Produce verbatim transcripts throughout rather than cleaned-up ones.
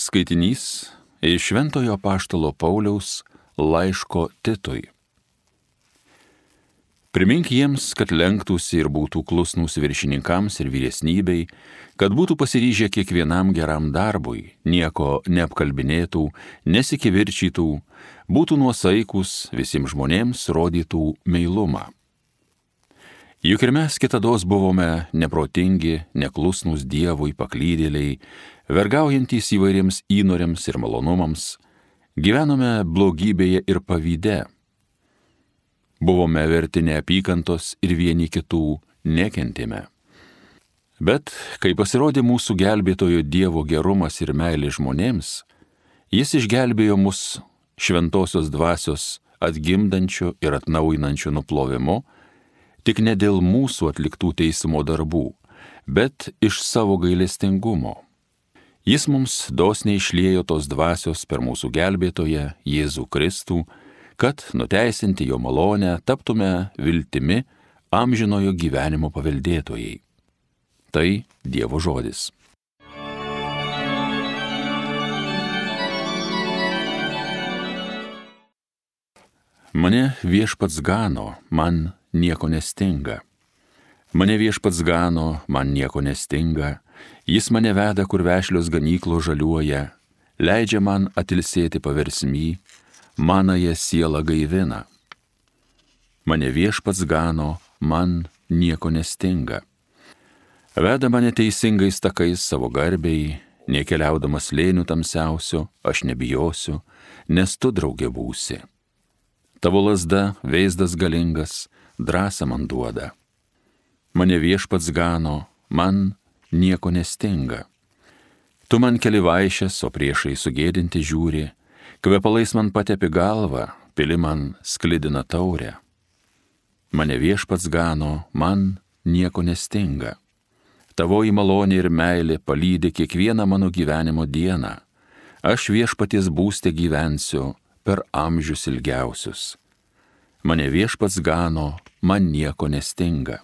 Skaitinys iš Šventojo apaštalo Pauliaus laiško Titui. Primink jiems, kad lenktųsi ir būtų klusnūs viršininkams ir vyresnybei, kad būtų pasiryžę kiekvienam geram darbui, nieko neapkalbinėtų, nesikivirčytų, būtų nuosaikus, visiems žmonėms rodytų meilumą. Juk ir mes kitados buvome neprotingi, neklusnūs Dievui, paklydėliai, vergaujantys įvairiems įnoriams ir malonumams, gyvenome blogybėje ir pavyde. Buvome verti neapykantos ir vieni kitų nekentėme. Bet, kai pasirodė mūsų gelbėtojo Dievo gerumas ir meilė žmonėms, jis išgelbėjo mus šventosios dvasios atgimdančio ir atnaujinančio nuplovimu, tik ne dėl mūsų atliktų teismo darbų, bet iš savo gailestingumo. Jis mums dosniai išliejo tos dvasios per mūsų gelbėtoją Jėzų Kristų, kad, nuteisinti jo malonę, taptume viltimi amžinojo gyvenimo paveldėtojai. Tai Dievo žodis. Mane Viešpats gano, man nieko nestinga. Mane Viešpats gano, man nieko nestinga. Jis mane veda, kur vešlios ganyklos žaliuoja, leidžia man atilsėti paversmy, manąją sielą gaivina. Mane Viešpats gano, man nieko nestinga. Veda mane teisingais takais savo garbei, nekeliaudamas slėnių tamsiausio, aš nebijosiu, nes tu draugė būsi. Tavo lazda, veizdas galingas, drąsą man duoda. Mane Viešpats gano, man nieko nestinga. Tu man keli vaišes, o priešai sugėdinti žiūri, kvepalais man patepi galvą, pili man sklidina taurę. Mane Viešpats gano, man nieko nestinga. Tavoji malonė ir meilė palydi kiekvieną mano gyvenimo dieną. Aš Viešpaties būste gyvensiu per amžius ilgiausius. Mane Viešpats gano, man nieko nestinga.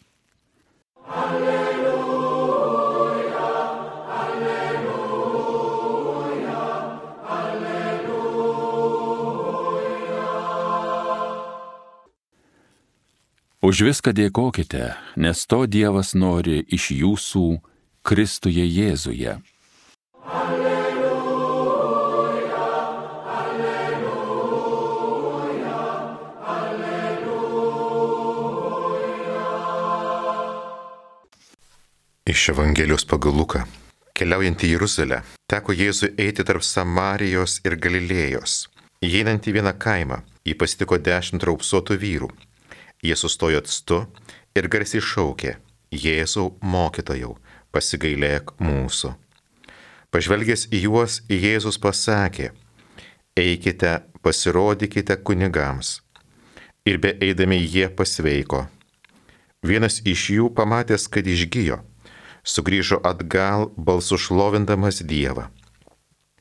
Už viską dėkokite, nes to Dievas nori iš jūsų Kristuje Jėzuje. Alleluja, alleluja, alleluja. Iš Evangelijos pagal Luką. Keliaujant į Jeruzalę, teko Jėzui eiti tarp Samarijos ir Galilėjos. Įeinant į vieną kaimą, jį pasitiko dešimt raupsuotų vyrų. Jie sustojo atstu ir garsiai šaukė: Jėzau, mokytojau, pasigailėk mūsų. Pažvelgęs į juos, Jėzus pasakė: eikite, pasirodykite kunigams. Ir be eidami jie pasveiko. Vienas iš jų, pamatęs, kad išgijo, sugrįžo atgal balsu šlovindamas Dievą.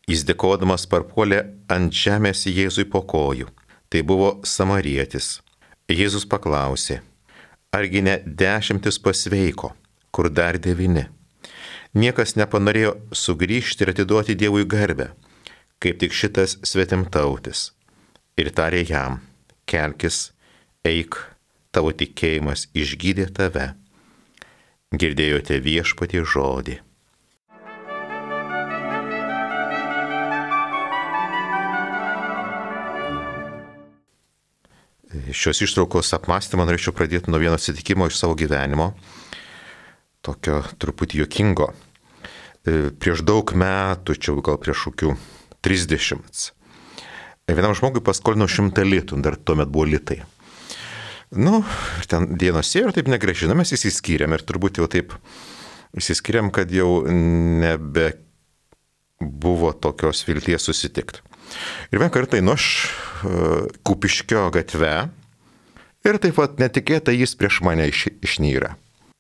Jis dėkodamas parpuolė ant žemės Jėzui po kojų. Tai buvo samarietis. Jėzus paklausė: argi ne dešimtis pasveiko, kur dar devyni? Niekas nepanorėjo sugrįžti ir atiduoti Dievui garbę, kaip tik šitas svetimtautis. Ir tarė jam: kelkis, eik, tavo tikėjimas išgydė tave. Girdėjote Viešpaties žodį. Šios ištraukos apmąstymą norėčiau pradėti nuo vieno atsitikimo iš savo gyvenimo, tokio truputį juokingo. Prieš daug metų, čia gal prieš kokių trisdešimt, vienam žmogui paskolinau šimtą litų, dar tuomet buvo litai. Nu, ten dienos ėjo ir taip negrąžinam, mes įsiskyrėm ir turbūt jau taip įsiskyrėm, kad jau nebe buvo tokios vilties susitikti. Ir vieną kartą einu aš Kupiškio gatve ir taip pat netikėtai jis prieš mane iš, išnyra.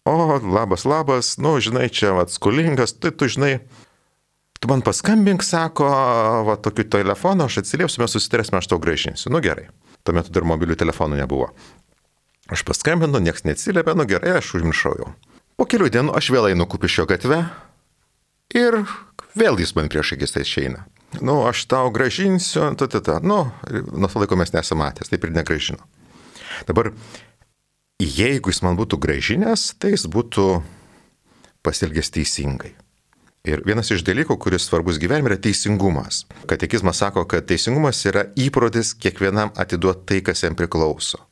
O, labas, labas, nu, žinai, čia vat skolingas, tai tu žinai, tu man paskambink, sako, va, tokiu telefonu, aš atsiliepsiu, mes susitarėsime, aš tau grąžinsiu. Nu, gerai. Tuo metu dar mobilių telefonų nebuvo. Aš paskambinu, nieks neatsiliepia, nu gerai, aš užmiršau jau. Po kelių dienų aš vėl einu Kupiškio gatve ir vėl jis man prieš akis tai išeina. Nu, aš tau gražinsiu, ta, ta, ta. Nu, nuo to laiko mes nesame matęs, taip ir negražino. Dabar, jeigu jis man būtų gražinęs, tai jis būtų pasielgęs teisingai. Ir vienas iš dalykų, kuris svarbus gyvenime, yra teisingumas. Katekizmas sako, kad teisingumas yra įprotis kiekvienam atiduoti tai, kas jam priklauso.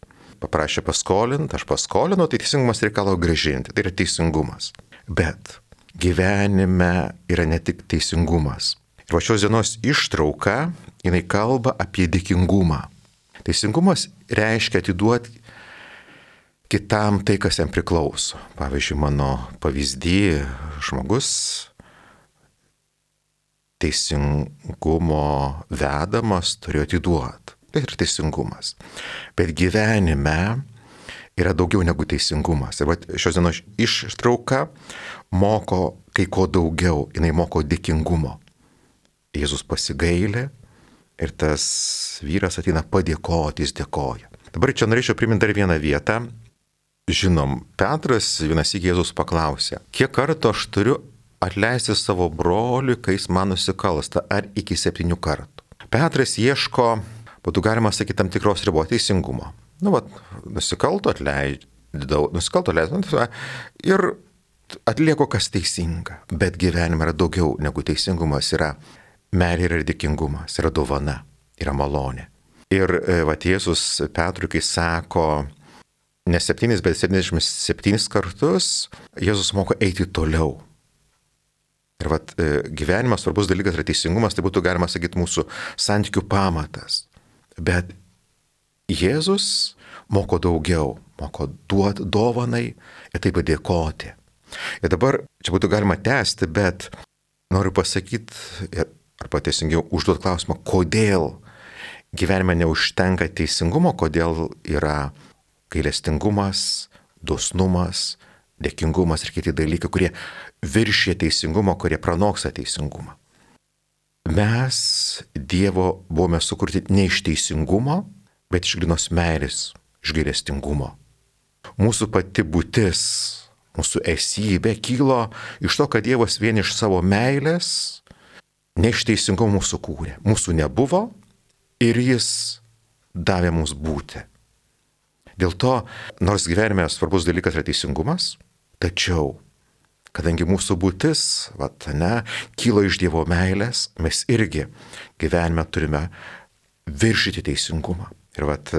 Paprašė paskolinti, aš paskolinu, tai teisingumas reikalauja grąžinti. Tai yra teisingumas. Bet gyvenime yra ne tik teisingumas. Ir va šios dienos ištrauka, jinai kalba apie dėkingumą. Teisingumas reiškia atiduoti kitam tai, kas jam priklauso. Pavyzdžiui, mano pavyzdį žmogus teisingumo vedamas turėjo atiduoti. Tai yra teisingumas. Bet gyvenime yra daugiau negu teisingumas. Ir šios dienos ištrauka moko kai ko daugiau. Jinai moko dėkingumo. Jėzus pasigailė ir tas vyras ateina padėkoti, jis dėkoja. Dabar čia norėčiau priminti dar vieną vietą. Žinom, Petras vienas iki Jėzus paklausė, kiek kartų aš turiu atleisti savo broliui, kai jis man nusikalsta, ar iki septynių kartų. Petras ieško, būtų galima sakyti, tam tikros ribos teisingumo. Nu, vat, nusikalto atleidau, nusikalto atleidau ir atlieku, kas teisinga. Bet gyvenime yra daugiau negu teisingumas, yra meilė ir dėkingumas, yra dovana, yra malonė. Ir vat Jėzus Petrui, kai sako, ne septynis, bet septyniasdešimt septynis kartus, Jėzus moko eiti toliau. Ir vat, gyvenimas svarbus dalykas yra teisingumas, tai būtų galima sakyti mūsų santykių pamatas. Bet Jėzus moko daugiau, moko duoti dovanai ir taip padėkoti. Ir dabar čia būtų galima tęsti, bet noriu pasakyti, arba teisingiau užduoti klausimą, kodėl gyvenime neužtenka teisingumo, kodėl yra gailestingumas, dosnumas, dėkingumas ir kiti dalykai, kurie viršė teisingumą, kurie pranoksta teisingumą. Mes Dievo buvome sukurti ne iš teisingumo, bet iš grynos meilės, iš gailestingumo. Mūsų pati būtis, mūsų esybė kilo iš to, kad Dievas vien iš savo meilės, ne iš teisingumo mūsų kūrė. Mūsų nebuvo ir jis davė mums būti. Dėl to, nors gyvenime svarbus dalykas yra teisingumas, tačiau, kadangi mūsų būtis, vat, ne, kilo iš Dievo meilės, mes irgi gyvenime turime viršyti teisingumą. Ir vat,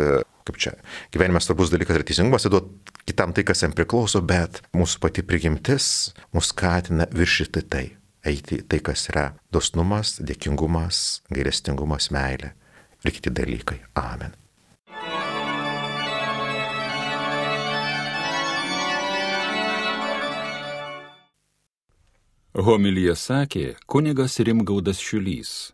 kaip čia, gyvenime svarbus dalykas yra teisingumas, įduot kitam tai, kas jam priklauso, bet mūsų pati prigimtis mus skatina viršyti tai, eiti tai, kas yra dosnumas, dėkingumas, gailestingumas, meilė ir kiti dalykai. Amen. Homilija sakė kunigas Rimgaudas Šiulys.